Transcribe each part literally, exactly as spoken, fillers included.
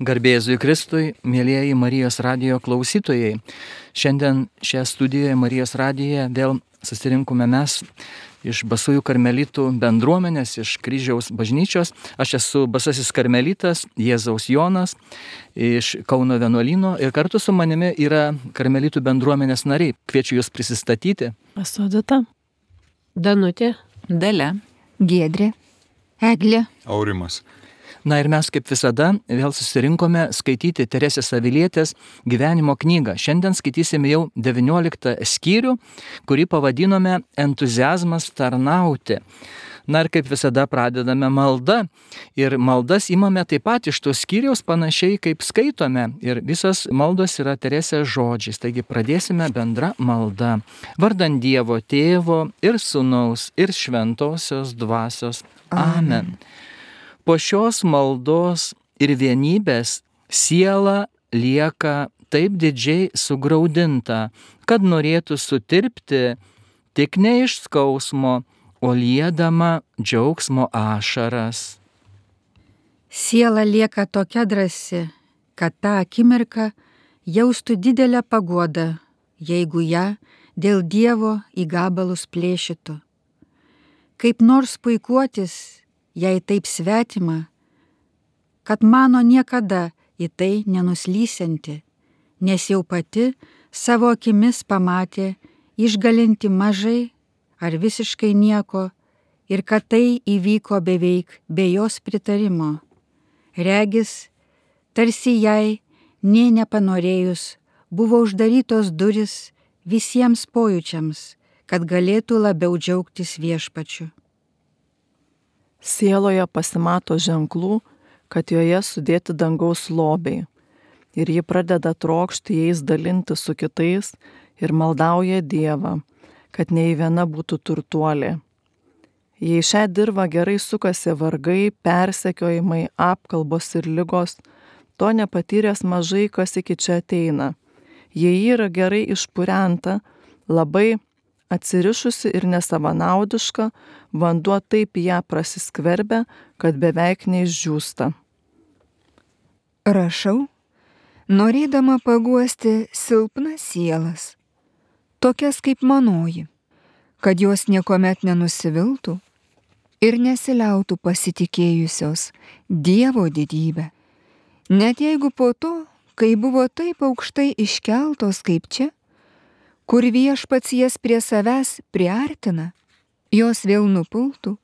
Garbėzui Kristui, mėlyjeji Marijos radijo klausytojai. Šiandien šią studijoje Marijos radijoje vėl susirinkome mes iš Basųjų karmelitų bendruomenės, iš Kryžiaus bažnyčios. Aš esu Basasis karmelitas Jėzaus Jonas iš Kauno vienuolyno ir kartu su manimi yra karmelitų bendruomenės nariai. Kviečiu jūs prisistatyti. Esu Odeta. Danutė. Dalia. Giedrė. Eglė. Aurimas. Na ir mes kaip visada vėl susirinkome skaityti Teresės Avilietės gyvenimo knygą. Šiandien skaitysime jau devynioliktą skyrių, kurį pavadinome Entuziazmas tarnauti. Na ir kaip visada pradedame maldą. Ir maldas imame taip pat iš tos skyriaus panašiai kaip skaitome. Ir visas maldos yra Teresės žodžiais. Taigi pradėsime bendra malda. Vardant Dievo Tėvo ir Sūnaus ir Šventosios Dvasios. Amen. Po šios maldos ir vienybės siela lieka taip didžiai sugraudinta, kad norėtų sutirpti tik ne iš skausmo, o liedama džiaugsmo ašaras. Siela lieka tokia drąsi, kad tą akimirką jaustų didelę paguodą, jeigu ją dėl Dievo į gabalus plėšytų. Kaip nors puikuotis, jei taip svetima, kad mano niekada į tai nenuslysianti, nes jau pati savo akimis pamatė išgalinti mažai ar visiškai nieko ir kad tai įvyko beveik be jos pritarimo. Regis, tarsi jai, nė nepanorėjus, buvo uždarytos duris visiems pojūčiams, kad galėtų labiau džiaugtis viešpačiu. Sieloje pasimato ženklų, kad joje sudėti dangaus lobiai, ir ji pradeda trokšti jais dalinti su kitais ir maldauja Dievą, kad nei viena būtų turtuolė. Jei šią dirvą gerai sukasi vargai, persekiojimai, apkalbos ir ligos, to nepatyręs mažai kas iki čia ateina. Jei yra gerai išpurenta, labai atsirišusi ir nesavanaudiška, vanduo taip ją prasiskverbia, kad beveik neišdžiūsta. Rašau, norėdama paguosti silpnas sielas, tokias kaip manoji, kad jos niekuomet nenusiviltų ir nesiliautų pasitikėjusios Dievo didybę. Net jeigu po to, kai buvo taip aukštai iškeltos kaip čia, kur viešpats jas prie savęs priartina, jos vėl nupultų,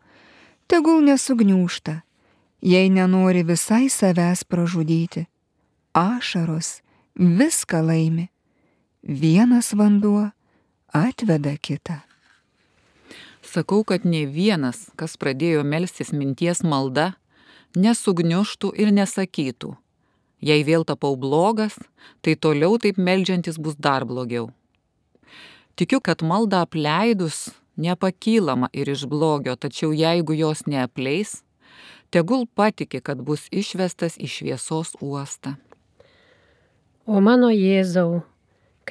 tegul nesugniūžta, jei nenori visai savęs pražudyti. Ašaros viską laimi, vienas vanduo atveda kitą. Sakau, kad ne vienas, kas pradėjo melstis minties malda, nesugniužtų ir nesakytų. Jei vėl tapau blogas, tai toliau taip meldžiantis bus dar blogiau. Tikiu, kad maldą apleidus nepakylama ir iš blogio, tačiau jeigu jos neapleis, tegul patiki, kad bus išvestas į šviesos uostą. O mano Jėzau,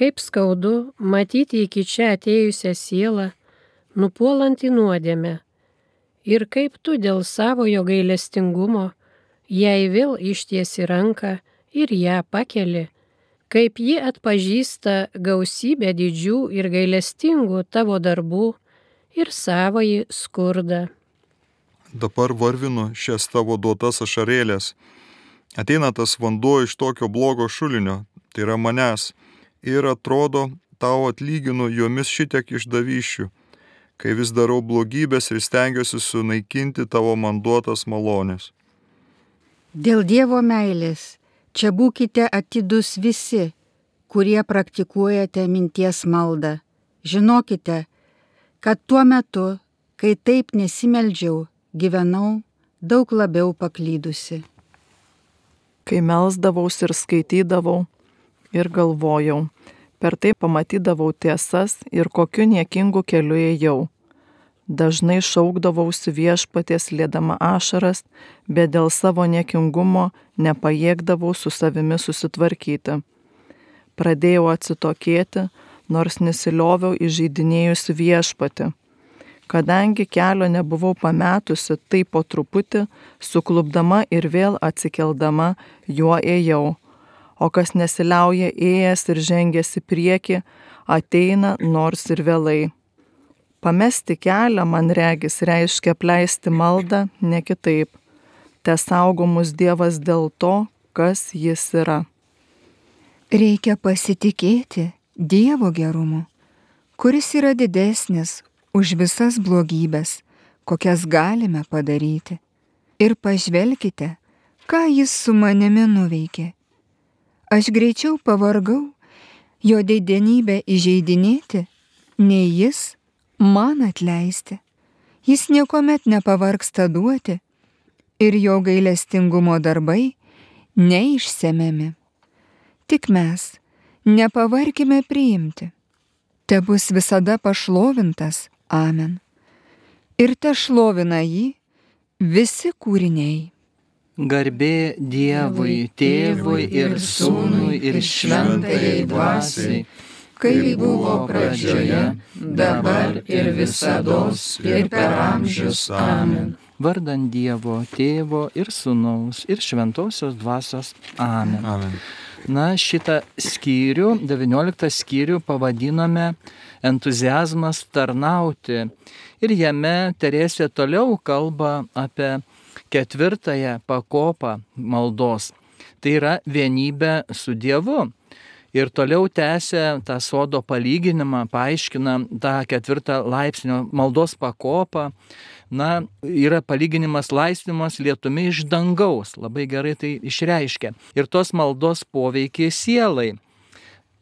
kaip skaudu matyti iki čia atėjusią sielą, nupuolant į nuodėmę, ir kaip tu dėl savojo gailestingumo jai vėl ištiesi ranką ir ją pakeli, kaip ji atpažįsta gausybę didžių ir gailestingų tavo darbų ir savąjį skurdą. Dabar varvinu šias tavo duotas ašarėlės. Ateina tas vanduo iš tokio blogo šulinio, tai yra manęs, ir atrodo, tau atlyginu jomis šitiek išdavysčių, kai vis darau blogybės ir stengiuosi sunaikinti tavo man duotas malonės. Dėl Dievo meilės čia būkite atidus visi, kurie praktikuojate minties maldą. Žinokite, kad tuo metu, kai taip nesimeldžiau, gyvenau daug labiau paklydusi. Kai melsdavaus ir skaitydavau ir galvojau, per tai pamatydavau tiesas ir kokiu niekingu keliu ėjau. Dažnai šaukdavausi viešpaties liedama ašaras, bet dėl savo niekingumo nepajėgdavau su savimi susitvarkyti. Pradėjau atsitokėti, nors nesilioviau įžeidinėjusi viešpatį. Kadangi kelio nebuvau pametusi, tai po truputį, suklupdama ir vėl atsikeldama, juo ėjau. O kas nesiliauja ėjęs ir žengęs į priekį, ateina nors ir vėlai. Pamesti kelią, man regis, reiškia apleisti maldą, ne kitaip. Te saugo mus Dievas dėl to, kas jis yra. Reikia pasitikėti Dievo gerumu, kuris yra didesnis už visas blogybės, kokias galime padaryti. Ir pažvelkite, ką jis su manimi nuveikė. Aš greičiau pavargau jo didenybę įžeidinėti, nei jis man atleisti. Jis niekuomet nepavargsta duoti ir jo gailestingumo darbai neišsemiami. Tik mes nepavarkime priimti. Te bus visada pašlovintas. Amen. Ir te šlovina jį visi kūriniai. Garbė Dievui, Tėvui ir Sūnui ir Šventajai Dvasiai, kaip buvo pradžioje, dabar ir visados ir per amžius. Amen. Vardant Dievo, Tėvo ir Sūnaus ir Šventosios Dvasios. Amen. Amen. Na, šitą skyrių, devynioliktą skyrių pavadinome entuziazmas tarnauti. Ir jame Teresė toliau kalba apie ketvirtąją pakopą maldos. Tai yra vienybė su Dievu. Ir toliau tęsia tą sodo palyginimą, paaiškina tą ketvirtą laipsnio maldos pakopą. Na, yra palyginimas laisvimas lietumi iš dangaus. Labai gerai tai išreiškia. Ir tos maldos poveikiai sielai.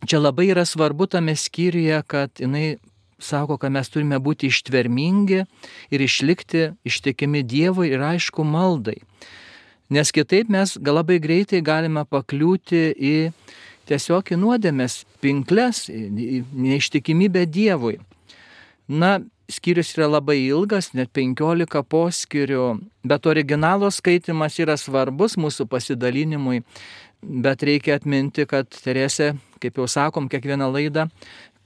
Čia labai yra svarbu tame skyriuje, kad jinai sako, kad mes turime būti ištvermingi ir išlikti ištikimi Dievui ir aišku maldai. Nes kitaip mes labai greitai galime pakliūti į tiesiog į nuodėmės pinkles, į neištikimybę Dievui. Na, skyrius yra labai ilgas, net penkiolika poskyrių, bet originalo skaitimas yra svarbus mūsų pasidalinimui. Bet reikia atminti, kad Teresė, kaip jau sakom, kiekvieną laidą,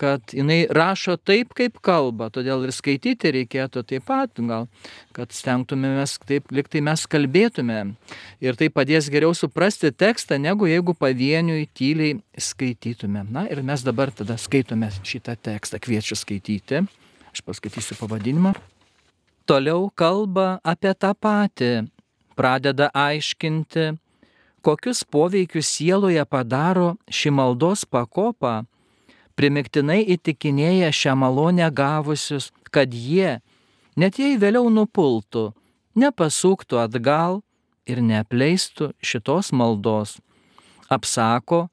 kad jinai rašo taip, kaip kalba, todėl ir skaityti reikėtų taip pat, gal, kad stengtumėmės taip, lyg tai mes kalbėtume. Ir tai padės geriau suprasti tekstą, negu jeigu pavieniui tyliai skaitytume. Na ir mes dabar tada skaitome šitą tekstą, kviečiu skaityti. Aš paskaitysiu pavadinimą. Toliau kalba apie tą patį, pradeda aiškinti, kokius poveikius sieloje padaro ši maldos pakopa, primiktinai įtikinėja šią malonę gavusius, kad jie, net jei vėliau nupultų, nepasuktų atgal ir neapleistų šitos maldos. Apsako,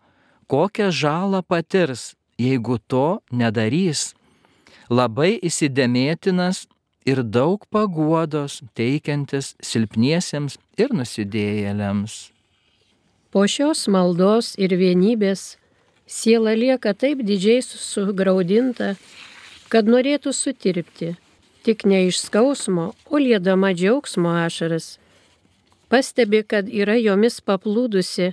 kokią žalą patirs, jeigu to nedarys. Labai įsidėmėtinas ir daug paguodos teikiantis silpniesiems ir nusidėjėliams. Po šios maldos ir vienybės siela lieka taip didžiai sugraudinta, kad norėtų sutirpti, tik ne iš skausmo, o liedama džiaugsmo ašaras. Pastebi, kad yra jomis paplūdusi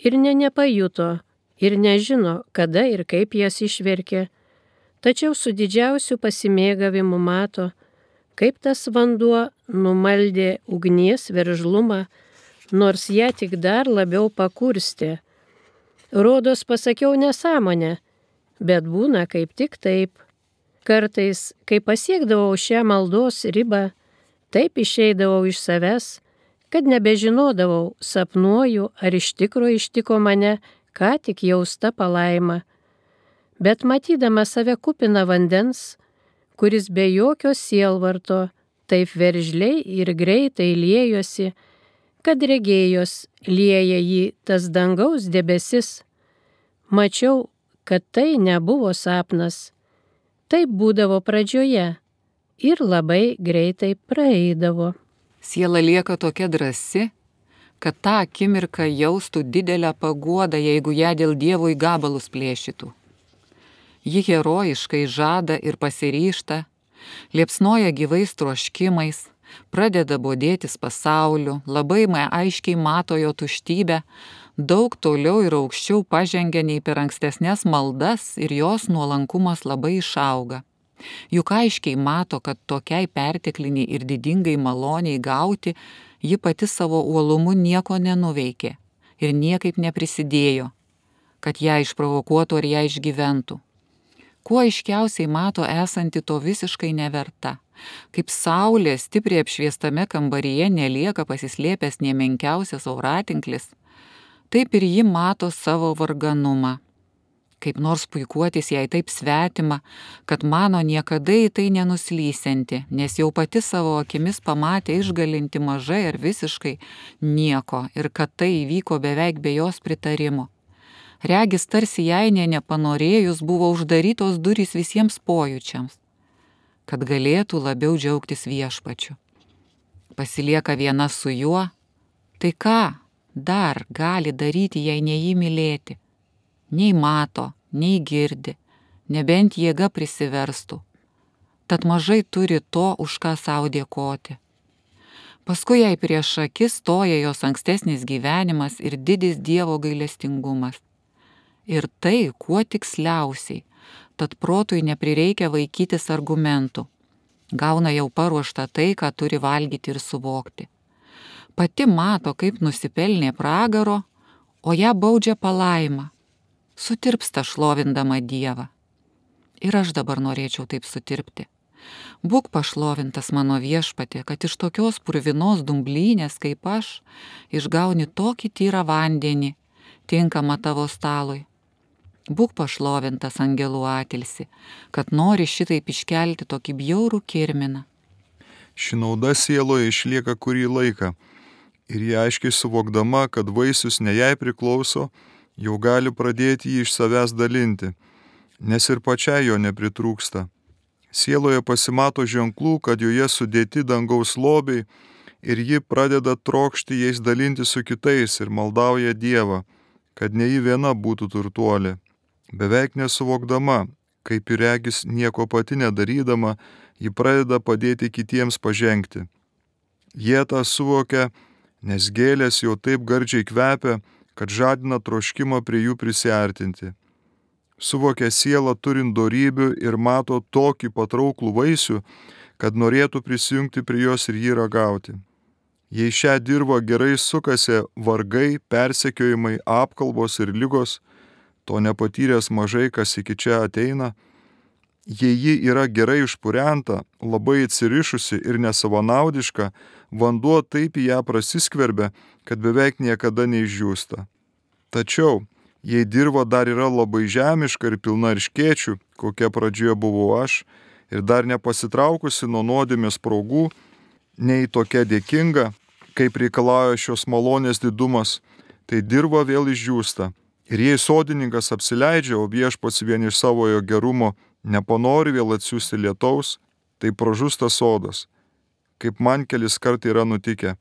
ir ne nepajuto, ir nežino, kada ir kaip jas išverkė, tačiau su didžiausiu pasimėgavimu mato, kaip tas vanduo numaldė ugnies veržlumą, nors ją tik dar labiau pakurstė. Rodos pasakiau nesąmonę, bet būna kaip tik taip. Kartais, kai pasiekdavau šią maldos ribą, taip išeidavau iš savęs, kad nebežinodavau, sapnuoju ar iš tikro ištiko mane, ką tik jausta palaima. Bet matydama save kupiną vandens, kuris be jokio sielvarto, taip veržliai ir greitai liejosi, kad regėjos lieja jį tas dangaus debesis. Mačiau, kad tai nebuvo sapnas. Taip būdavo pradžioje ir labai greitai praeidavo. Siela lieka tokia drąsi, kad tą akimirką jaustų didelę paguodą, jeigu ją dėl Dievo į gabalus plėšytų. Ji herojiškai žada ir pasiryžta, liepsnoja gyvais troškimais, pradeda bodėtis pasauliu, labai aiškiai mato jo tuštybę, daug toliau ir aukščiau pažengia nei per ankstesnės maldas ir jos nuolankumas labai išauga. Juk aiškiai mato, kad tokiai pertekliniai ir didingai maloniai gauti ji pati savo uolumu nieko nenuveikė ir niekaip neprisidėjo, kad ją išprovokuotų ar ją išgyventų. Kuo aiškiausiai mato esanti to visiškai neverta, kaip saulė stipriai apšviestame kambaryje nelieka pasislėpęs nė menkiausias auratinklis, taip ir ji mato savo varganumą. Kaip nors puikuotis jai taip svetima, kad mano niekada į tai nenuslysianti, nes jau pati savo akimis pamatė išgalinti mažai ar visiškai nieko ir kad tai įvyko beveik be jos pritarimo. Regis tarsi jai nė nepanorėjus buvo uždarytos durys visiems pojūčiams, kad galėtų labiau džiaugtis viešpačiu. Pasilieka viena su juo, tai ką dar gali daryti, jei ne jį mylėti? Nei mato, nei girdi, nebent jėga prisiverstų. Tad mažai turi to, už ką savo dėkoti. Paskui jai prieš akis stoja jos ankstesnis gyvenimas ir didis Dievo gailestingumas. Ir tai kuo tiksliausiai, tad protui neprireikia vaikytis argumentų. Gauna jau paruoštą tai, ką turi valgyti ir suvokti. Pati mato, kaip nusipelnė pragaro, o ją baudžia palaima. Sutirpsta šlovindama Dievą. Ir aš dabar norėčiau taip sutirpti. Būk pašlovintas mano viešpatie, kad iš tokios purvinos dumblynės kaip aš išgauni tokį tyrą vandenį, tinkamą tavo stalui. Būk pašlovintas angelų atilsi, kad nori šitaip iškelti tokį bjaurų kirminą. Ši nauda sieloje išlieka kurį laiką ir jie aiškiai suvokdama, kad vaisius ne jai priklauso, jau gali pradėti jį iš savęs dalinti, nes ir pačiai jo nepritrūksta. Sieloje pasimato ženklų, kad joje sudėti dangaus lobiai ir ji pradeda trokšti jais dalinti su kitais ir maldauja Dievą, kad ne ji viena būtų turtuolė. Beveik nesuvokdama, kaip ir regis nieko pati nedarydama, ji pradeda padėti kitiems pažengti. Jie tą suvokia, nes gėlės jau taip gardžiai kvepia, kad žadina troškimą prie jų prisiartinti. Suvokia sielą turint dorybių ir mato tokį patrauklų vaisių, kad norėtų prisijungti prie jos ir jį ragauti. Jei šią dirvą gerai sukasi vargai, persekiojimai, apkalbos ir ligos, to nepatyręs mažai kas iki čia ateina, jei ji yra gerai išpurenta, labai atsirišusi ir nesavanaudiška, vanduo taip į ją prasiskverbia, kad beveik niekada neišdžiūsta. Tačiau, jei dirva dar yra labai žemiška ir pilna erškėčių, kokia pradžioje buvau aš, ir dar nepasitraukusi nuo nuodėmės spragų, nei tokia dėkinga, kaip reikalauja šios malonės didumas, tai dirva vėl išdžiūsta. Ir jei sodininkas apsileidžia, o viešpats vien iš savojo gerumo nepanori vėl atsiųsti lietaus, tai pražūsta sodas, kaip man kelis kartai yra nutikę.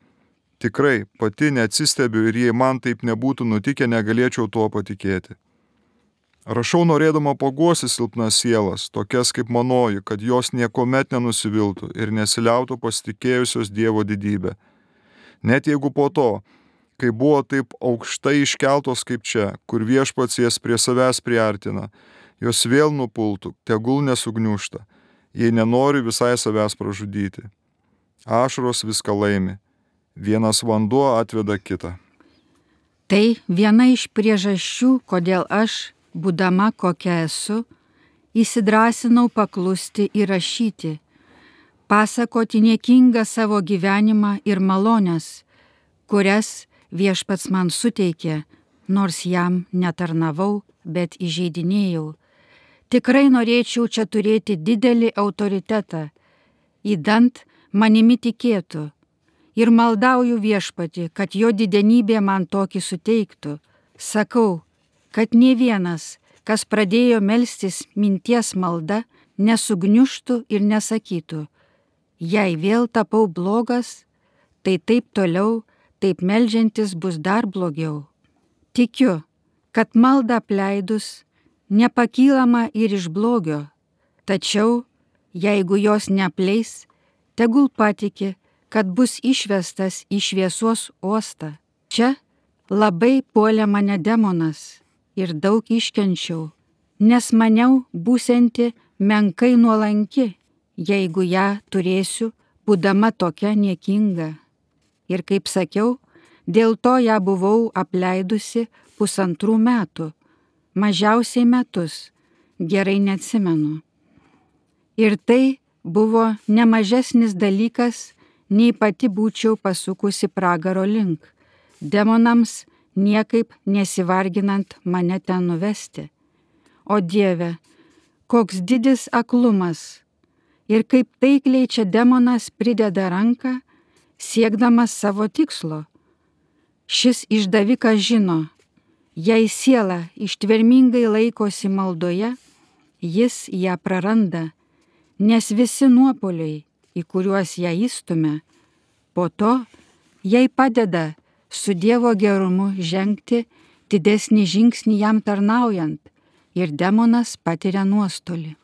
Tikrai, pati neatsistebiu ir jei man taip nebūtų nutikę, negalėčiau tuo patikėti. Rašau norėdama paguosti silpnas sielas, tokias kaip manoji, kad jos niekuomet nenusiviltų ir nesiliautų pasitikėjusios Dievo didybę. Net jeigu po to, kai buvo taip aukštai iškeltos kaip čia, kur viešpats jas prie savęs priartina, jos vėl nupultų, tegul nesugniužta, jei nenori visai savęs pražudyti. Ašaros viską laimi. Vienas vanduo atveda kitą. Tai viena iš priežasčių, kodėl aš, būdama kokia esu, įsidrasinau paklusti ir rašyti, pasakoti niekingą savo gyvenimą ir malonės, kurias viešpats man suteikė, nors jam netarnavau, bet įžeidinėjau. Tikrai norėčiau čia turėti didelį autoritetą, įdant manimi tikėtų. Ir maldauju viešpatį, kad jo didenybė man tokį suteiktų. Sakau, kad nė vienas, kas pradėjo melstis minties malda, nesugniužtų ir nesakytų, jei vėl tapau blogas, tai taip toliau, taip meldžiantis bus dar blogiau. Tikiu, kad malda apleidus, nepakylama ir iš blogio, tačiau, jeigu jos neapleis, tegul patiki, kad bus išvestas į šviesos uostą. Čia labai puolė mane demonas ir daug iškenčiau, nes maniau būsianti menkai nuolanki, jeigu ją turėsiu, būdama tokia niekinga. Ir kaip sakiau, dėl to ją buvau apleidusi pusantrų metų, mažiausiai metus, gerai neatsimenu. Ir tai buvo nemažesnis dalykas, nei pati būčiau pasukusi pragaro link, demonams niekaip nesivarginant mane ten nuvesti. O Dieve, koks didis aklumas ir kaip taikliai čia demonas prideda ranką, siekdamas savo tikslo. Šis išdavikas žino, jei siela ištvermingai laikosi maldoje, jis ją praranda, nes visi nuopuoliai, į kuriuos ją įstumia, po to jai padeda su Dievo gerumu žengti didesnį žingsnį jam tarnaujant ir demonas patiria nuostolį.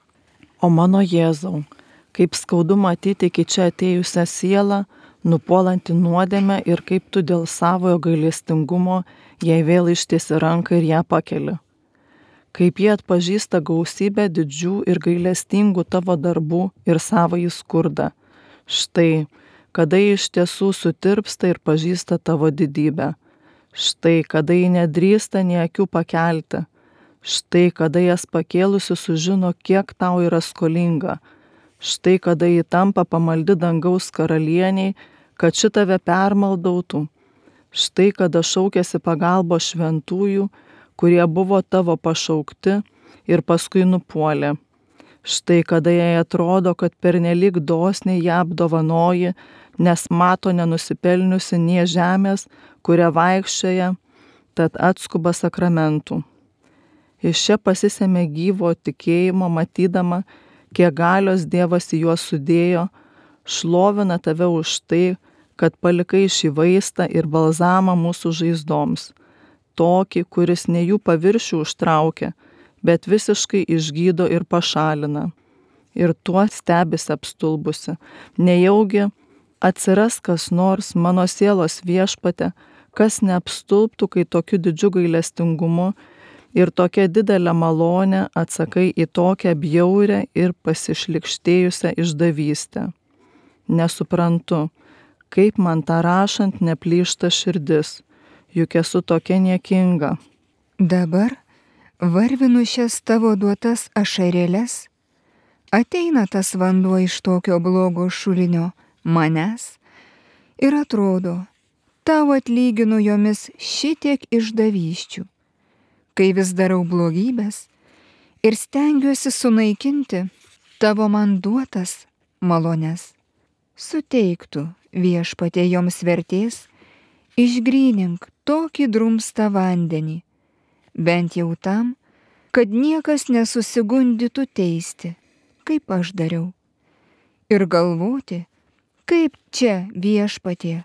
O mano Jėzau, kaip skaudu matyti iki čia atėjusią sielą, nupuolantį nuodėmę ir kaip tu dėl savojo gailestingumo jai vėl ištiesi ranką ir ją pakeli. Kaip jie atpažįsta gausybę didžių ir gailestingų tavo darbų ir savąjį skurdą. Štai, kada jie iš tiesų sutirpsta ir pažįsta tavo didybę. Štai, kada jie nedrįsta nei akių pakelti. Štai, kada jas pakėlusi sužino, kiek tau yra skolinga. Štai, kada jie tampa pamaldi dangaus karalieniai, kad šitave permaldautų. Štai, kada šaukėsi pagalbo šventųjų, kurie buvo tavo pašaukti ir paskui nupuolė. Štai, kada jai atrodo, kad pernelyg dosniai ją apdovanoji, nes mato nenusipelniusi nie žemės, kuria vaikščioja, tad atskuba sakramentų. Iš čia pasisėmė gyvo tikėjimo, matydama, kiek galios Dievas į juos sudėjo, šlovina tave už tai, kad palikai šį vaistą ir balzamą mūsų žaizdoms, tokį, kuris ne jų paviršių užtraukia, bet visiškai išgydo ir pašalina. Ir tuo stebisi apstulbusi, nejaugi atsiras kas nors mano sielos Viešpatie, kas neapstulbtų, kai tokiu didžiu gailestingumu ir tokia didelė malonė atsakai į tokią bjaurę ir pasišlikštėjusią išdavystę. Nesuprantu, kaip man tą rašant neplyšta širdis, juk esu tokia niekinga. Dabar varvinu šias tavo duotas ašarėles, ateina tas vanduo iš tokio blogo šulinio manęs ir atrodo, tau atlyginu jomis šitiek išdavysčių, kai vis darau blogybės ir stengiuosi sunaikinti tavo man duotas malones. Suteiktų Viešpatie joms vertės, išgrynink tokį drumstą vandenį, bent jau tam, kad niekas nesusigundytų teisti, kaip aš dariau, ir galvoti, kaip čia Viešpatie,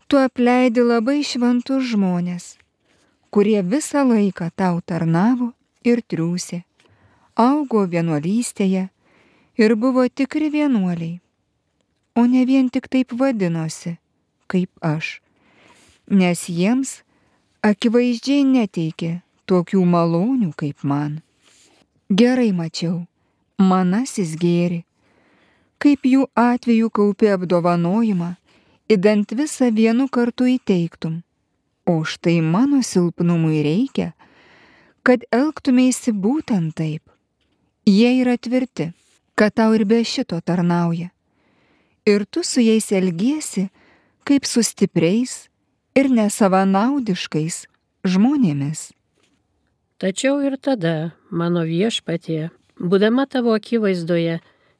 tu apleidi labai šventus žmonės, kurie visą laiką tau tarnavo ir triūsė, augo vienuolystėje ir buvo tikri vienuoliai, o ne vien tik taip vadinosi, kaip aš, nes jiems akivaizdžiai neteikė tokių malonių kaip man. Gerai mačiau, manasis gėri, kaip jų atveju kaupi apdovanojimą, idant visą vienu kartu įteiktum, o štai mano silpnumui reikia, kad elgtumėsi būtent taip. Jie yra tvirti, kad tau ir be šito tarnauja. Ir tu su jais elgiesi, kaip su stipriais ir nesavanaudiškais žmonėmis. Tačiau ir tada, mano Viešpatie, būdama tavo akivaizdoje,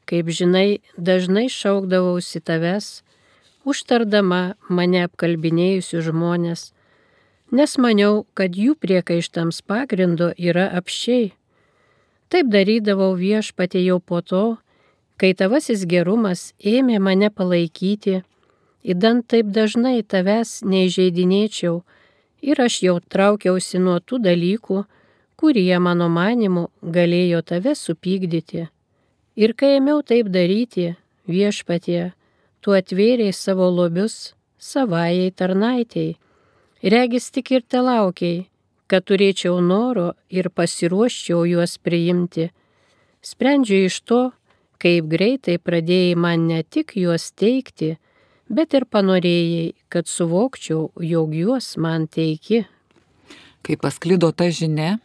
kaip žinai, dažnai šaukdavausi tavęs, užtardama mane apkalbinėjusių žmonės, nes maniau, kad jų priekaištams pagrindo yra apsčiai. Taip darydavau Viešpatie jau po to, kai tavasis gerumas ėmė mane palaikyti, idant taip dažnai tavęs neįžeidinėčiau ir aš jau traukiausi nuo tų dalykų, kurie mano manimu galėjo tave supykdyti. Ir kai ėmiau taip daryti, Viešpatie, tu atvėrei savo lobius savajai tarnaitei, regis tik ir te laukiai, kad turėčiau noro ir pasiruoščiau juos priimti. Sprendžiu iš to, kaip greitai pradėjai man ne tik juos teikti, bet ir panorėjai, kad suvokčiau, jog juos man teiki. Kai pasklido ta žinia,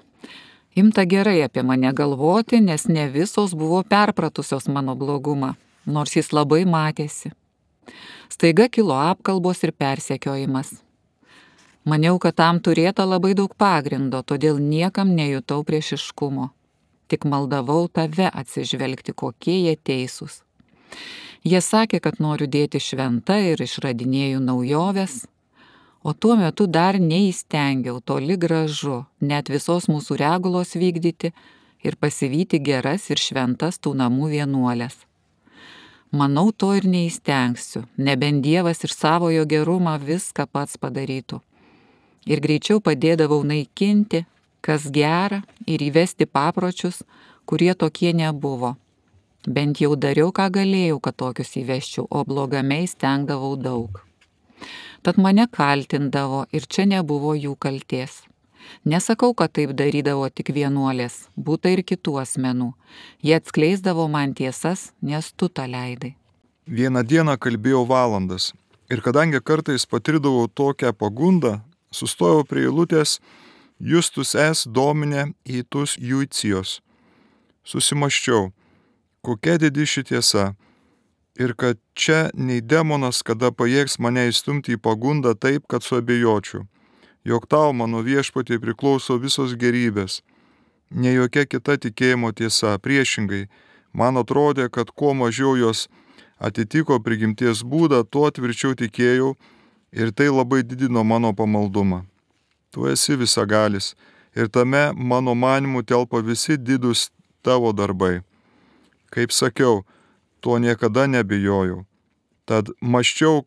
imta gerai apie mane galvoti, nes ne visos buvo perpratusios mano blogumą, nors jis labai matėsi. Staiga kilo apkalbos ir persekiojimas. Maniau, kad tam turėta labai daug pagrindo, todėl niekam nejutau priešiškumo. Tik maldavau tave atsižvelgti, kokie jie teisūs. Jie sakė, kad noriu dėti šventą ir išradinėjau naujoves, o tuo metu dar neįstengiau toli gražu net visos mūsų regulos vykdyti ir pasivyti geras ir šventas tų namų vienuolės. Manau, to ir neįstengsiu, nebent Dievas iš savojo gerumą viską pats padarytų. Ir greičiau padėdavau naikinti, kas gera, ir įvesti papročius, kurie tokie nebuvo. Bent jau dariau, ką galėjau, kad tokius įvesčiau, o blogame įstengdavau daug. Tad mane kaltindavo ir čia nebuvo jų kaltės. Nesakau, kad taip darydavo tik vienuolės, būta ir kitų asmenų. Jie atskleisdavo man tiesas, nes tu tą leidai. Vieną dieną kalbėjau valandas ir kadangi kartais patirdavau tokią pagundą, sustojau prie eilutės Justus es domine itus juicijos. Susimaščiau, kokia didi ši tiesa ir kad čia nei demonas kada pajėgs mane įstumti į pagundą taip, kad suabejočiau, jog tau, mano viešpatie, priklauso visos gerybės. Ne jokia kita tikėjimo tiesa, priešingai, man atrodė, kad kuo mažiau jos atitiko prigimties būdą, tuo tvirčiau tikėjau ir tai labai didino mano pamaldumą. Tu esi visagalis ir tame mano manimu telpa visi didūs tavo darbai. Kaip sakiau, tuo niekada nebijojau. Tad maščiau,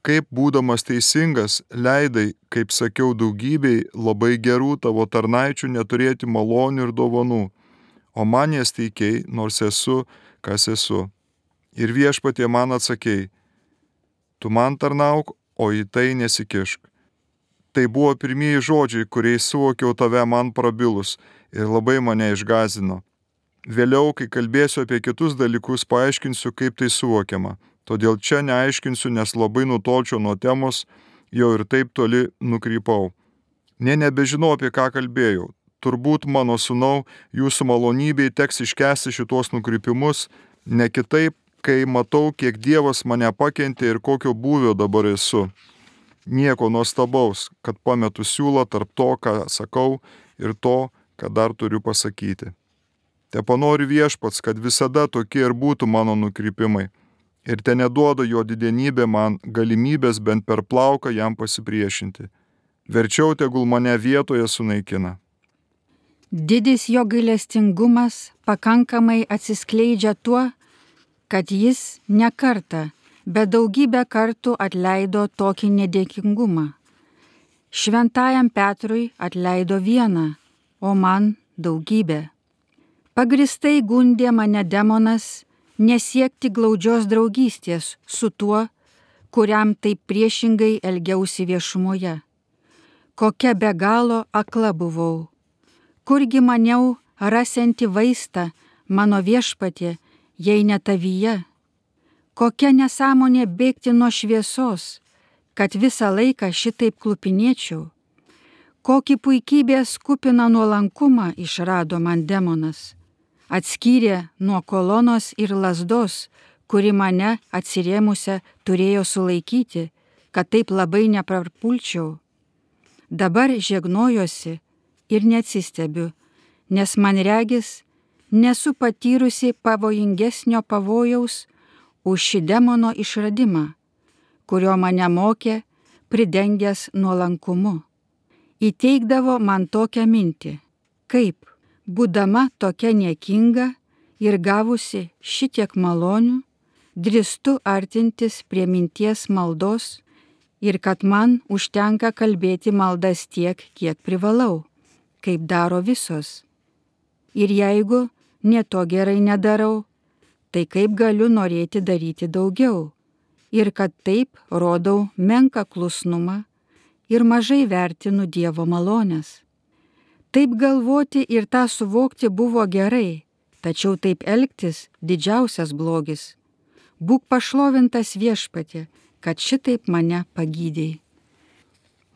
kaip būdamas teisingas, leidai, kaip sakiau, daugybei labai gerų tavo tarnaičių neturėti malonių ir dovanų, o man jas teikei, nors esu, kas esu. Ir viešpatie man atsakei, tu man tarnauk, o į tai nesikišk. Tai buvo pirmieji žodžiai, kuriais suvokiau tave man prabilus ir labai mane išgąsdino. Vėliau, kai kalbėsiu apie kitus dalykus, paaiškinsiu, kaip tai suvokiama. Todėl čia neaiškinsiu, nes labai nutolčiau nuo temos, jau ir taip toli nukrypau. Nė nebežinau, apie ką kalbėjau. Turbūt, mano sūnau, jūsų malonybei teks iškęsti šitos nukrypimus, ne kitaip, kai matau, kiek Dievas mane pakentė ir kokio būvio dabar esu. Nieko nuostabaus, kad pametu siūlą tarp to, ką sakau, ir to, ką dar turiu pasakyti. Te panori viešpats, kad visada tokie ir būtų mano nukrypimai, ir te neduoda jo didenybė man galimybės bent per plauką jam pasipriešinti. Verčiau tegul mane vietoje sunaikina. Didis jo gailestingumas pakankamai atsiskleidžia tuo, kad jis ne kartą, bet daugybę kartų atleido tokį nedėkingumą. Šventajam Petrui atleido vieną, o man daugybę. Pagristai gundė mane demonas nesiekti glaudžios draugystės su tuo, kuriam taip priešingai elgiausi viešumoje. Kokia be galo akla buvau. Kurgi maniau rasianti vaistą mano viešpatie, jei ne tavyje. Kokia nesąmonė bėgti nuo šviesos, kad visą laiką šitaip klupinėčiau. Kokį puikybės kupiną nuolankumą išrado man demonas. Atskyrė nuo kolonos ir lazdos, kuri mane atsirėmusią turėjo sulaikyti, kad taip labai neprapulčiau. Dabar žegnojosi ir neatsistebiu, nes man regis, nesu patyrusi pavojingesnio pavojaus už šį demono išradimą, kurio mane mokė pridengęs nuolankumu. Įteikdavo man tokią mintį, kaip, būdama tokia niekinga ir gavusi šitiek malonių, drįstu artintis prie minties maldos ir kad man užtenka kalbėti maldas tiek, kiek privalau, kaip daro visos. Ir jeigu ne to gerai nedarau, tai kaip galiu norėti daryti daugiau ir kad taip rodau menką klusnumą ir mažai vertinu Dievo malonės. Taip galvoti ir tą suvokti buvo gerai, tačiau taip elgtis didžiausias blogis. Būk pašlovintas Viešpatie, kad šitaip mane pagydėjai.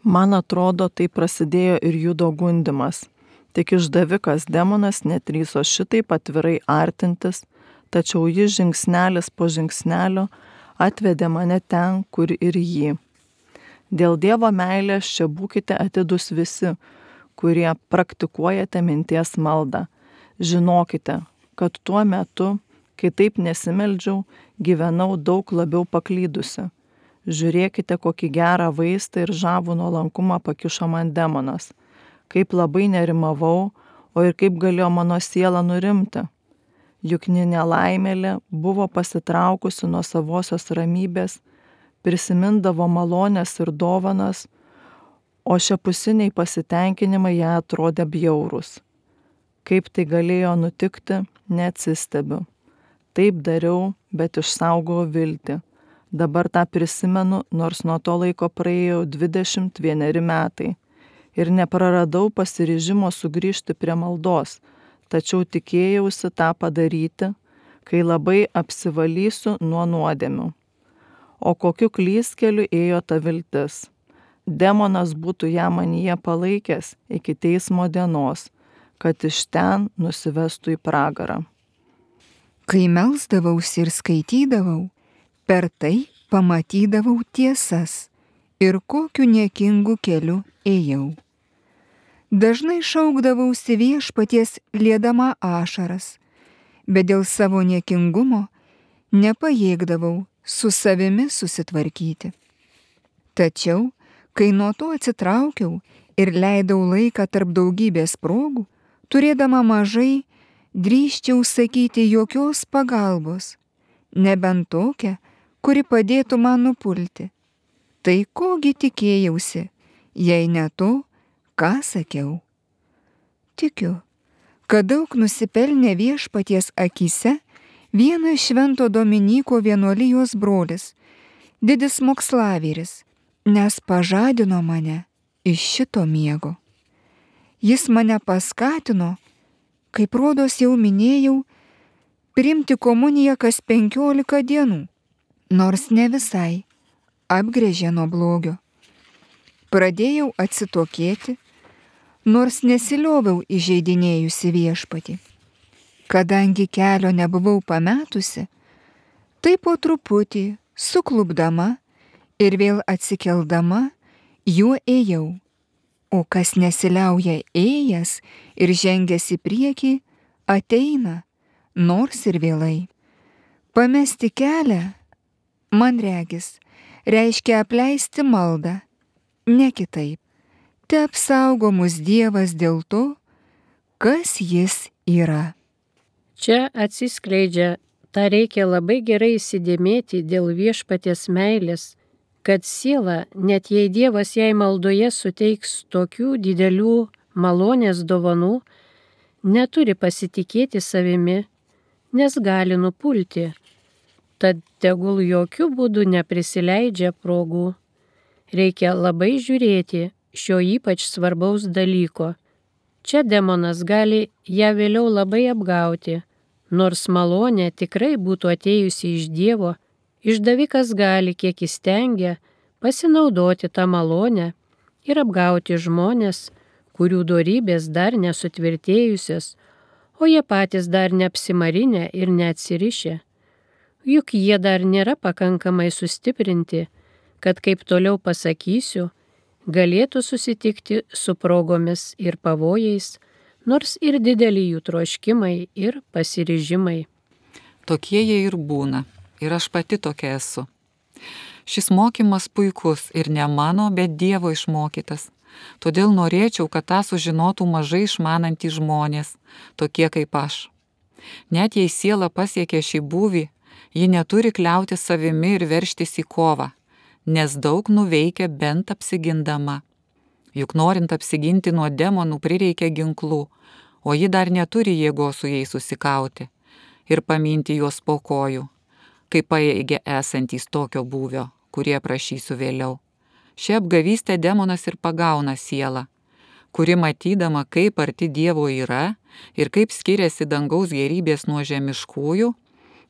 Man atrodo, tai prasidėjo ir Judo gundimas. Tik išdavikas demonas nedrįso šitaip atvirai artintis, tačiau jis žingsnelis po žingsnelio atvedė mane ten, kur ir jį. Dėl Dievo meilės čia būkite atidus visi, kurie praktikuojate minties maldą. Žinokite, kad tuo metu, kai taip nesimeldžiau, gyvenau daug labiau paklydusi. Žiūrėkite, kokį gerą vaistą ir žavų nuolankumą pakišo man demonas. Kaip labai nerimavau, o ir kaip galėjo mano siela nurimti. Juk nelaimėlė buvo pasitraukusi nuo savosios ramybės, prisimindavo malonės ir dovanas, o šiapusiniai pasitenkinimai ją atrodė bjaurūs. Kaip tai galėjo nutikti, neatsistebiu. Taip dariau, bet išsaugojau viltį. Dabar tą prisimenu, nors nuo to laiko praėjo dvidešimt vieneri metai. Ir nepraradau pasiryžimo sugrįžti prie maldos, tačiau tikėjausi tą padaryti, kai labai apsivalysiu nuo nuodėmių. O kokiu klystkeliu ėjo ta viltis. Demonas būtų ją manyje palaikęs iki teismo dienos, kad iš ten nusivestų į pragarą. Kai melsdavausi ir skaitydavau, per tai pamatydavau tiesas ir kokiu niekingu keliu ėjau. Dažnai šaukdavausi Viešpaties liedama ašaras, bet dėl savo niekingumo nepajėgdavau su savimi susitvarkyti. Tačiau, kai nuo to atsitraukiau ir leidau laiką tarp daugybės progų, turėdama mažai, drįsčiau sakyti jokios pagalbos, nebent tokią, kuri padėtų man nupulti. Tai kogi tikėjausi, jei ne to, ką sakiau. Tikiu, kad daug nusipelnė Viešpaties akyse vienas Švento Dominyko vienuolijos brolis, didis mokslavėris, nes pažadino mane iš šito miego. Jis mane paskatino, kaip rodos jau minėjau, priimti komuniją kas penkiolika dienų, nors ne visai, apgręžė nuo blogio. Pradėjau atsitokėti, nors nesilioviau įžeidinėjusi Viešpatį. Kadangi kelio nebuvau pametusi, tai po truputį, suklupdama ir vėl atsikeldama, juo ėjau. O kas nesiliauja ėjęs ir žengęs į priekį, ateina, nors ir vėlai. Pamesti kelią, man regis, reiškia apleisti maldą, ne kitaip. Te apsaugo mus Dievas dėl to, kas jis yra. Čia atsiskleidžia, tą reikia labai gerai įsidėmėti dėl Viešpaties meilės, kad siela, net jei Dievas jai maldoje suteiks tokių didelių malonės dovanų, neturi pasitikėti savimi, nes gali nupulti. Tad tegul jokių būdų neprisileidžia progų. Reikia labai žiūrėti šio ypač svarbaus dalyko. Čia demonas gali ją vėliau labai apgauti, nors malonė tikrai būtų atėjusi iš Dievo, išdavikas gali, kiek įstengia, pasinaudoti tą malonę ir apgauti žmonės, kurių dorybės dar nesutvirtėjusios, o jie patys dar neapsimarinę ir neatsirišę. Juk jie dar nėra pakankamai sustiprinti, kad, kaip toliau pasakysiu, galėtų susitikti su progomis ir pavojais, nors ir dideli jų troškimai ir pasiryžimai. Tokie jie ir būna, ir aš pati tokia esu. Šis mokymas puikus ir ne mano, bet Dievo išmokytas. Todėl norėčiau, kad tą sužinotų mažai išmanantys žmonės, tokie kaip aš. Net jei siela pasiekia šį būvį, ji neturi kliauti savimi ir veržtis į kovą, nes daug nuveikia bent apsigindama. Juk norint apsiginti nuo demonų prireikia ginklų, o ji dar neturi jėgos su jais susikauti ir paminti juos po kojų, kaip pajėgia esantys tokio būvio, kurie prašysiu vėliau. Šią apgavystę demonas ir pagauna sielą. kuri matydama, kaip arti Dievo yra ir kaip skiriasi dangaus gerybės nuo žemiškųjų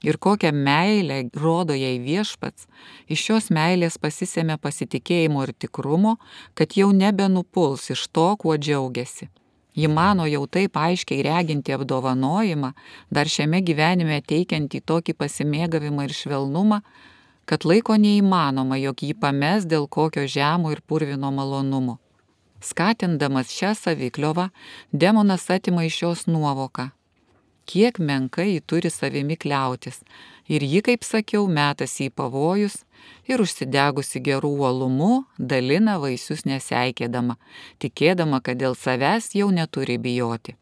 ir kokią meilę rodo jai Viešpats, iš šios meilės pasisėmė pasitikėjimo ir tikrumo, kad jau nebenupuls iš to, kuo džiaugiasi. Ji mano jau taip aiškiai reginti apdovanojimą, dar šiame gyvenime teikiantį tokį pasimėgavimą ir švelnumą, kad laiko neįmanoma, jog jį pames dėl kokio žemo ir purvino malonumo. Skatindamas šią savikliovą, demonas atima iš jos nuovoką. Kiek menkai ji turi savimi kliautis, ir ji, kaip sakiau, metasi į pavojus ir užsidegusi gerų uolumu dalina vaisius neseikėdama, tikėdama, kad dėl savęs jau neturi bijoti.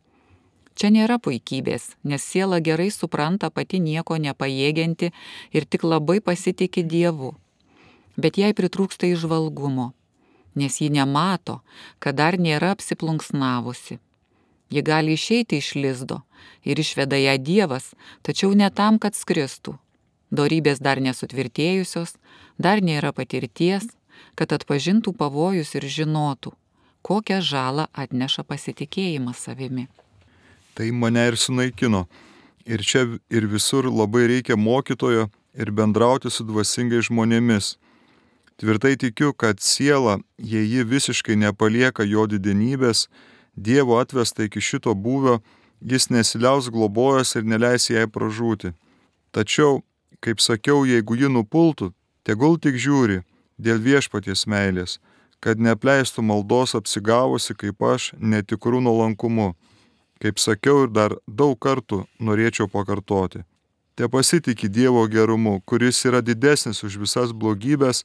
Čia nėra puikybės, nes siela gerai supranta pati nieko nepajėgianti ir tik labai pasitiki Dievu. Bet jai pritrūksta įžvalgumo, nes ji nemato, kad dar nėra apsiplunksnavusi. Ji gali išeiti iš lizdo ir išveda ją Dievas, tačiau ne tam, kad skristų. Dorybės dar nesutvirtėjusios, dar nėra patirties, kad atpažintų pavojus ir žinotų, kokią žalą atneša pasitikėjimas savimi. Tai mane ir sunaikino. Ir čia ir visur labai reikia mokytojo ir bendrauti su dvasingais žmonėmis. Tvirtai tikiu, kad siela, jei ji visiškai nepalieka jo didenybės, Dievo atvesta iki šito būvio, jis nesiliaus globojęs ir neleis jai pražūti. Tačiau, kaip sakiau, jeigu ji nupultų, tegul tik žiūri dėl Viešpaties meilės, kad neapleistų maldos apsigavusi kaip aš netikrų nuolankumu. Kaip sakiau ir dar daug kartų norėčiau pakartoti. Te pasitiki Dievo gerumu, kuris yra didesnis už visas blogybės,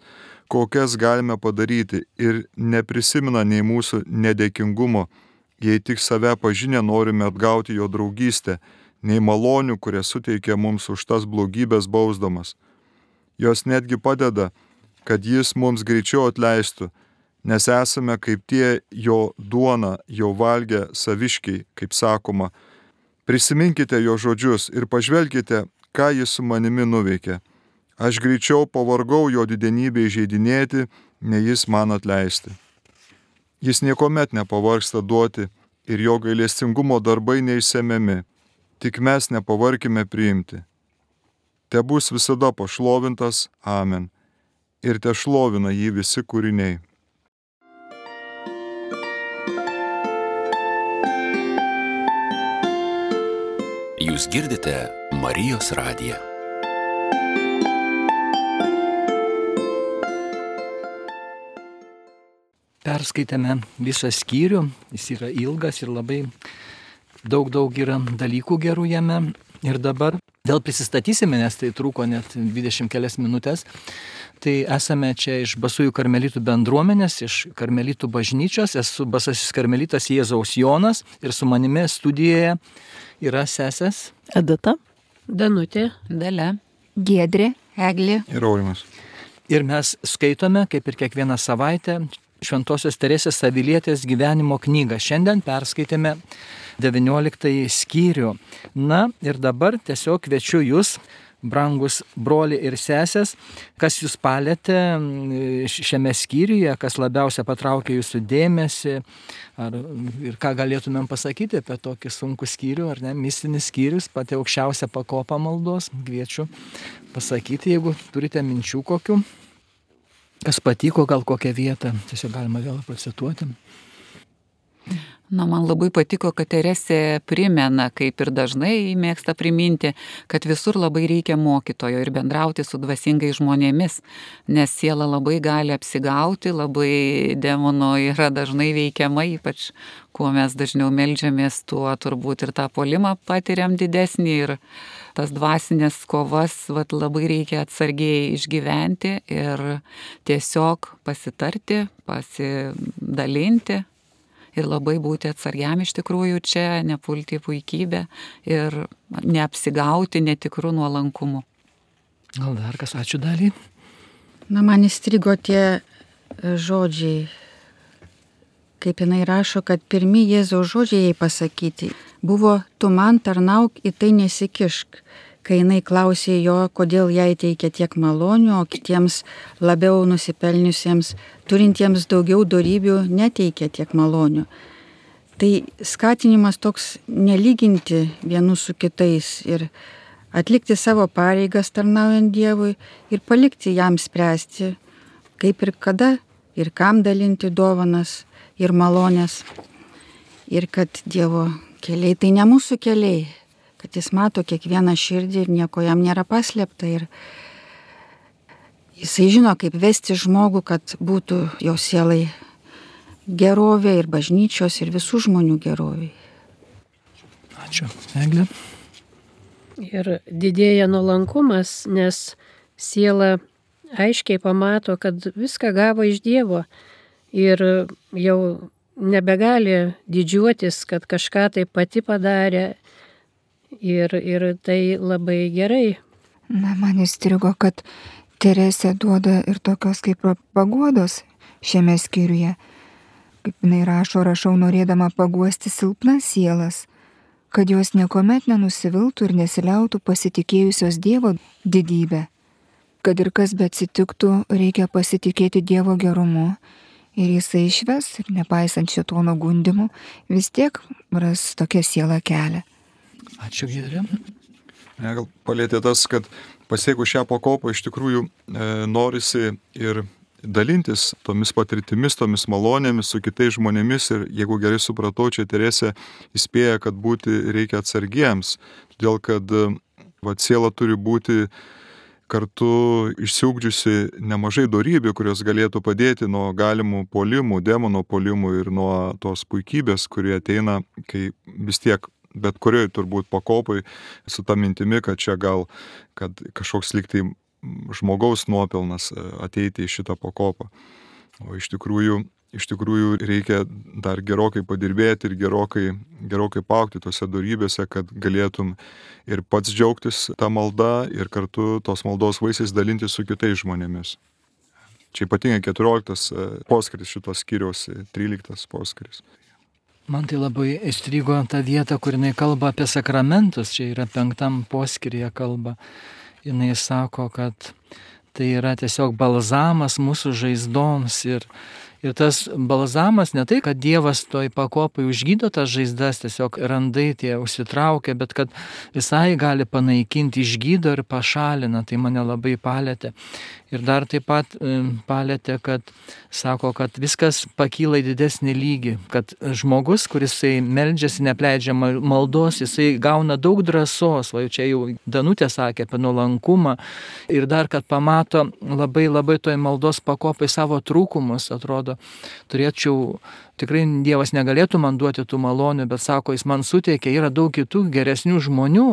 kokias galime padaryti, ir neprisimena nei mūsų nedėkingumo, jei tik save pažinę norime atgauti jo draugystę, nei malonių, kurie suteikia mums už tas blogybės bausdamas. Jos netgi padeda, kad jis mums greičiau atleistų, nes esame kaip tie jo duona jau valgę saviškiai, kaip sakoma. Prisiminkite jo žodžius ir pažvelkite, ką jis su manimi nuveikė. Aš greičiau pavargau jo didenybę įžeidinėti, nei jis man atleisti. Jis niekuomet nepavargsta duoti ir jo gailestingumo darbai neišsemiami, tik mes nepavarkime priimti. Te bus visada pašlovintas, amen, ir te šlovina jį visi kūriniai. Jūs girdite Marijos radiją. Perskaitėme visą skyrių, jis yra ilgas ir labai daug daug yra dalykų gerų jame. Ir dabar dėl prisistatysime, nes tai truko net dvidešimt kelias minutės. Tai esame čia iš Basųjų karmelitų bendruomenės, iš karmelitų bažnyčios. Esu Basasis karmelitas Jėzaus Jonas ir su manimi studijoje yra sesės Edita, Danutė, Dalia, Giedrė, Eglė Ir Aurimas. ir mes skaitome, kaip ir kiekvieną savaitę, Šventosios Teresės Avilietės gyvenimo knygą. Šiandien perskaitėme devynioliktąjį skyrių. Na ir dabar tiesiog kviečiu jūs, brangus broliai ir sesės, kas jūs palėtė šiame skyriuje, kas labiausia patraukė jūsų dėmesį, ar, ir ką galėtumėm pasakyti apie tokį sunkų skyrių, ar ne, mistinis skyrius, pati aukščiausia pakopa maldos. Kviečiu pasakyti, jeigu turite minčių kokių. Kas patiko, gal kokią vietą, tiesiog galima vėl pacituoti. Na, man labai patiko, kad Teresė primena, kaip ir dažnai mėgsta priminti, kad visur labai reikia mokytojo ir bendrauti su dvasingais žmonėmis, nes siela labai gali apsigauti, labai demono yra dažnai veikiama, ypač kuo mes dažniau meldžiamės, tuo turbūt ir tą puolimą patiriam didesnį ir tas dvasinės kovas vat, labai reikia atsargiai išgyventi ir tiesiog pasitarti, pasidalinti. Ir labai būti atsargiam iš tikrųjų čia, nepulti į puikybę ir neapsigauti netikrų nuolankumų. Gal dar kas, ačiū Daliai. Na, man įstrigo tie žodžiai, kaip jinai rašo, kad pirmi Jėzaus žodžiai jai pasakyti buvo: tu man tarnauk, į tai nesikišk. Kai jinai klausė jo, kodėl jai teikia tiek malonių, o kitiems labiau nusipelniusiems, turintiems daugiau dorybių, neteikia tiek malonių. Tai skatinimas toks nelyginti vienų su kitais ir atlikti savo pareigas tarnaujant Dievui ir palikti jam spręsti, kaip ir kada ir kam dalinti dovanas ir malonės. Ir kad Dievo keliai tai ne mūsų keliai, kad jis mato kiekvieną širdį ir nieko jam nėra paslėpta. Ir jisai žino, kaip vesti žmogų, kad būtų jo sielai gerovė ir bažnyčios ir visų žmonių gerovė. Ačiū. Eglė. Ir didėja nuolankumas, nes siela aiškiai pamato, kad viską gavo iš Dievo ir jau nebegali didžiuotis, kad kažką tai pati padarė ir, ir tai labai gerai. Na, man įstrigo, kad Teresė duoda ir tokios kaip paguodos šiame skyriuje. Kaip jinai rašo, rašau norėdama paguosti silpnas sielas, kad jos niekuomet nenusiviltų ir nesiliautų pasitikėjusios Dievo didybę. Kad ir kas beatsitiktų, reikia pasitikėti Dievo gerumu ir jisai išves, ir nepaisant šėtono gundimų, vis tiek ras tokią sielą kelią. Ačiū, Giedrė. Ne, gal palėtė tas, kad pasiekus šią pakopą iš tikrųjų e, norisi ir dalintis tomis patirtimis, tomis malonėmis su kitais žmonėmis ir jeigu gerai supratau, čia Teresė įspėja, kad būti reikia atsargiems, todėl kad va, siela turi būti kartu išsiugdžiusi nemažai dorybių, kurios galėtų padėti nuo galimų puolimų, demono puolimų ir nuo tos puikybės, kurie ateina, kai vis tiek bet kurioje turbūt pakopai su ta mintimi, kad čia gal kad kažkoks liktai žmogaus nuopelnas ateiti į šitą pakopą. O iš tikrųjų, iš tikrųjų reikia dar gerokai padirbėti ir gerokai, gerokai paaugti tose dorybėse, kad galėtum ir pats džiaugtis tą maldą ir kartu tos maldos vaisiais dalintis su kitais žmonėmis. Čia ypatingai keturioliktas poskiris šitos skyriaus, tryliktas poskiris. Man tai labai įstrigo ta vieta, kur jinai kalba apie sakramentus, čia yra penktam poskiryje kalba. Jinai sako, kad tai yra tiesiog balzamas mūsų žaizdoms ir, ir tas balzamas ne tai, kad Dievas toj pakopai užgydo tas žaizdas, tiesiog randai tie užsitraukia, bet kad visai gali panaikinti, išgydo ir pašalina, tai mane labai palėtė. Ir dar taip pat palėtė, kad sako, kad viskas pakyla į didesnį lygį, kad žmogus, kuris meldžiasi, nepleidžia maldos, jisai gauna daug drąsos, va čia jau Danutė sakė apie nuolankumą, ir dar, kad pamato labai labai toj maldos pakopai savo trūkumus, atrodo, turėčiau, tikrai Dievas negalėtų man duoti tų malonių, bet sako, jis man suteikia, yra daug kitų geresnių žmonių.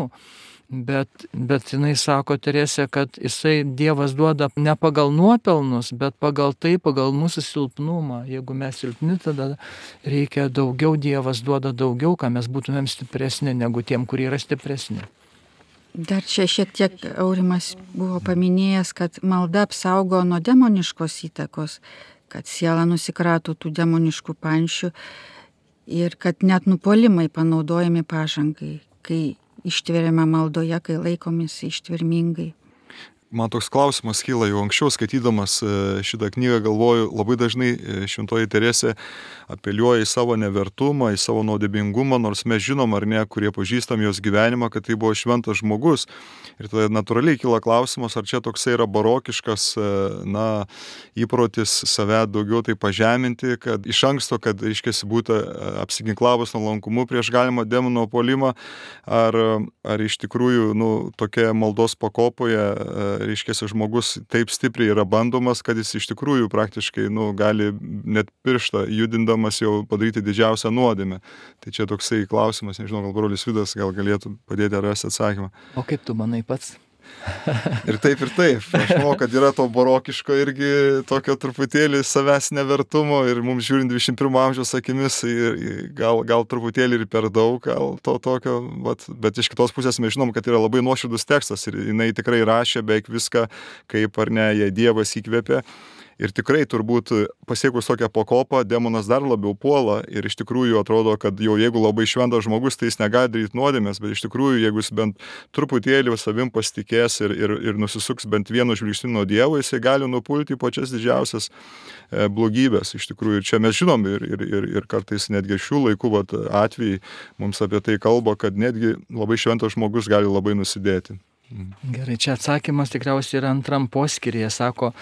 Bet, bet jinai sako, Teresė, kad jisai Dievas duoda ne pagal nuopelnus, bet pagal tai, pagal mūsų silpnumą. Jeigu mes silpni, tada reikia daugiau, Dievas duoda daugiau, ką mes būtumėm stipresni negu tiem, kurie yra stipresni. Dar čia šiek tiek Aurimas buvo paminėjęs, kad malda apsaugo nuo demoniškos įtakos, kad siela nusikrato tų demoniškų pančių ir kad net nupuolimai panaudojami pažangai, kai ištveriame maldoje, kai laikomis ištvermingai. Man toks klausimas kyla jau anksčiau, skaitydamas šitą knygą, galvoju, labai dažnai šventoji Teresė apeliuoja į savo nevertumą, į savo nuodėmingumą, nors mes žinom ar ne, kurie pažįstam jos gyvenimą, kad tai buvo šventas žmogus. Ir tada natūraliai kyla klausimas, ar čia toksai yra barokiškas, na, įprotis save daugiau tai pažeminti, kad iš anksto, kad, reiškiasi, būtų apsiginklavus nuolankumu prieš galimą demono puolimą, ar, ar iš tikrųjų, nu, tokia maldos pakopoje, reiškiasi, žmogus taip stipriai yra bandomas, kad jis iš tikrųjų praktiškai, nu, gali net pirštą judindamas jau padaryti didžiausią nuodėmę. Tai čia toksai klausimas, nežinau, gal brolis Vidas gal galėtų padėti rasti atsakymą. O kaip tu manai pats? Ir taip, ir taip. Aš manau, kad yra to barokiško irgi tokio truputėlį savęs nevertumo ir mums žiūrint dvidešimt pirmo amžiaus akimis gal, gal truputėlį ir per daug gal to tokio, bet, bet iš kitos pusės mes žinom, kad yra labai nuoširdus tekstas ir jinai tikrai rašė beveik viską, kaip ar ne, jei Dievas įkvėpė. Ir tikrai turbūt pasiekus tokią pakopą, demonas dar labiau puola ir iš tikrųjų atrodo, kad jau jeigu labai šventas žmogus, tai jis negali daryti nuodėmės, bet iš tikrųjų, jeigu jis bent truputėlį savim pasitikės ir, ir, ir nusisuks bent vienu žvilgsniu nuo Dievo, jisai gali nupulti į pačias didžiausias blogybės. Iš tikrųjų, ir čia mes žinom ir, ir, ir, ir kartais netgi šių laikų vat, atvejai mums apie tai kalba, kad netgi labai šventas žmogus gali labai nusidėti. Gerai, čia atsakymas tikriausiai yra antram poskyryje, sako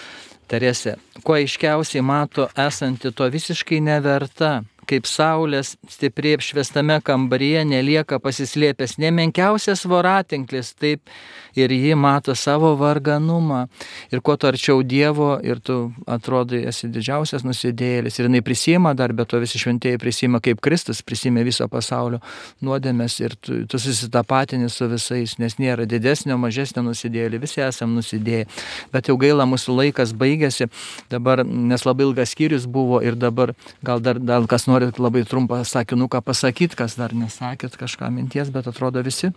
Teresė, kuo aiškiausiai mato esanti to visiškai neverta, kaip saulės stipriai apšviestame kambaryje nelieka pasislėpęs nemenkiausias voratinklis, taip ir ji mato savo varganumą. Ir kuo tu arčiau Dievo ir tu atrodai esi didžiausias nusidėjėlis. Ir jinai prisima dar, bet to visi šventieji prisima kaip Kristus, prisima viso pasaulio nuodėmės ir tu, tu susitapatini su visais, nes nėra didesnio, mažesnio nusidėjėlį, visi esam nusidėję. Bet jau gaila, mūsų laikas baigėsi, dabar, nes labai ilgas skyrius buvo ir dabar gal dar, dar kas nori labai trumpą sakinuką pasakyti, kas dar nesakėt kažką minties, bet atrodo visi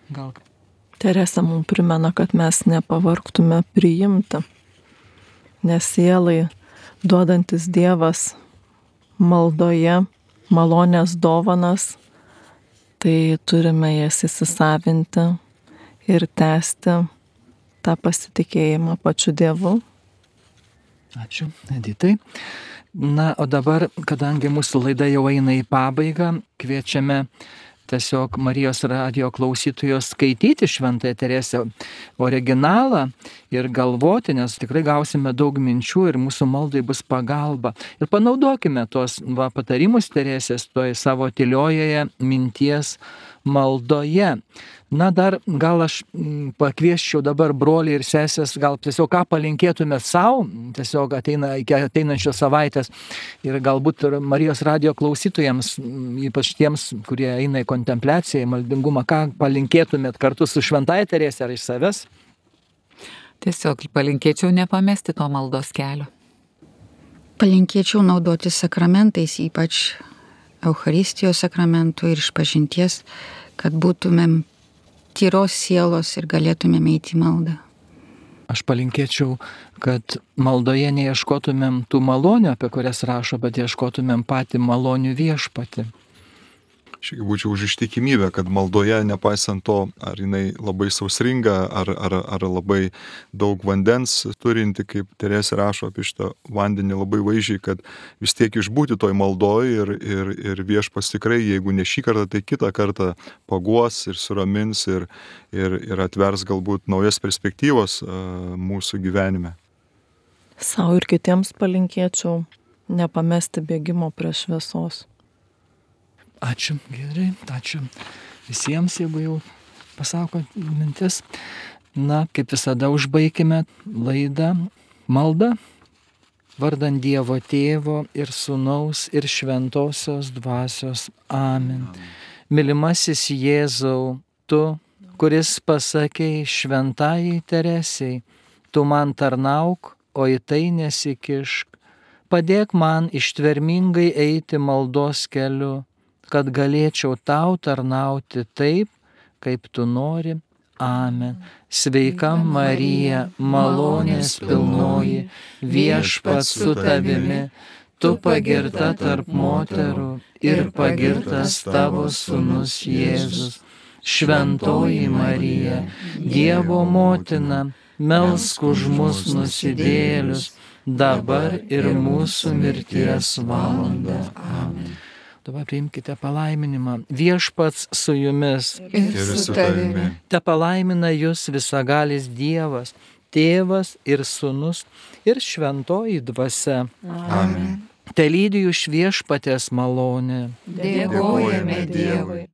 gal. Teresė mums primena, kad mes nepavargtume priimti, nes sielai duodantis Dievas maldoje malonės dovanas, tai turime jas įsisavinti ir tęsti tą pasitikėjimą pačiu Dievu. Ačiū, Editai. Na, o dabar, kadangi mūsų laida jau eina į pabaigą, kviečiame tiesiog Marijos radijo klausytojos skaityti Šventąją Teresę originalą ir galvoti, nes tikrai gausime daug minčių ir mūsų maldai bus pagalba. Ir panaudokime tos va, patarimus Teresės toje savo tyliojoje minties maldoje. Na dar gal aš pakviesčiau dabar brolį ir sesės, gal tiesiog ką palinkėtume savo, tiesiog ateina, iki ateinančios savaitės ir galbūt ir Marijos radijo klausytojams, ypač tiems, kurie eina į kontempliaciją, į maldingumą, ką palinkėtumėt kartu su Šventąja Teresė ar iš savęs? Tiesiog palinkėčiau nepamesti to maldos kelio. Palinkėčiau naudoti sakramentais, ypač Eucharistijos sakramentų ir išpažinties, kad būtumėm tyros sielos ir galėtumėm eiti į maldą. Aš palinkėčiau, kad maldoje neieškotumėm tų malonių, apie kurias rašo, bet ieškotumėm patį malonių viešpatį. Šiek tiek būčiau už ištikimybę, kad maldoje, nepaisant to, ar jinai labai sausringa, ar, ar, ar labai daug vandens turinti, kaip Teresė rašo apie šitą vandenį labai vaizdžiai, kad vis tiek išbūti toj maldoj ir, ir, ir viešpats tikrai, jeigu ne šį kartą, tai kitą kartą paguos ir suramins ir, ir, ir atvers galbūt naujas perspektyvos uh, mūsų gyvenime. Sau ir kitiems palinkėčiau nepamesti bėgimo prie šviesos. Ačiū, gerai, ačiū visiems, jeigu jau pasako mintis. Na, kaip visada užbaikime laidą maldą vardan Dievo Tėvo ir Sūnaus ir Šventosios Dvasios. Amen. Mylimasis Jėzau, tu, kuris pasakei Šventajai Teresei, tu man tarnauk, o į tai nesikišk. Padėk man ištvermingai eiti maldos keliu, kad galėčiau tau tarnauti taip, kaip tu nori. Amen. Sveika Marija, malonės pilnoji, viešpats su tavimi, tu pagirta tarp moterų ir pagirtas tavo sūnus Jėzus. Šventoji Marija, Dievo motina, melsk už mus nusidėjėlius, dabar ir mūsų mirties valandą. Amen. Dabar priimkite palaiminimą. Viešpats su jumis. Ir su tavimi. Te palaimina jūs visagalis Dievas, Tėvas ir Sūnus ir Šventoji Dvasia. Amen. Te lydi jūs Viešpaties malonė. Dėkojame Dievui.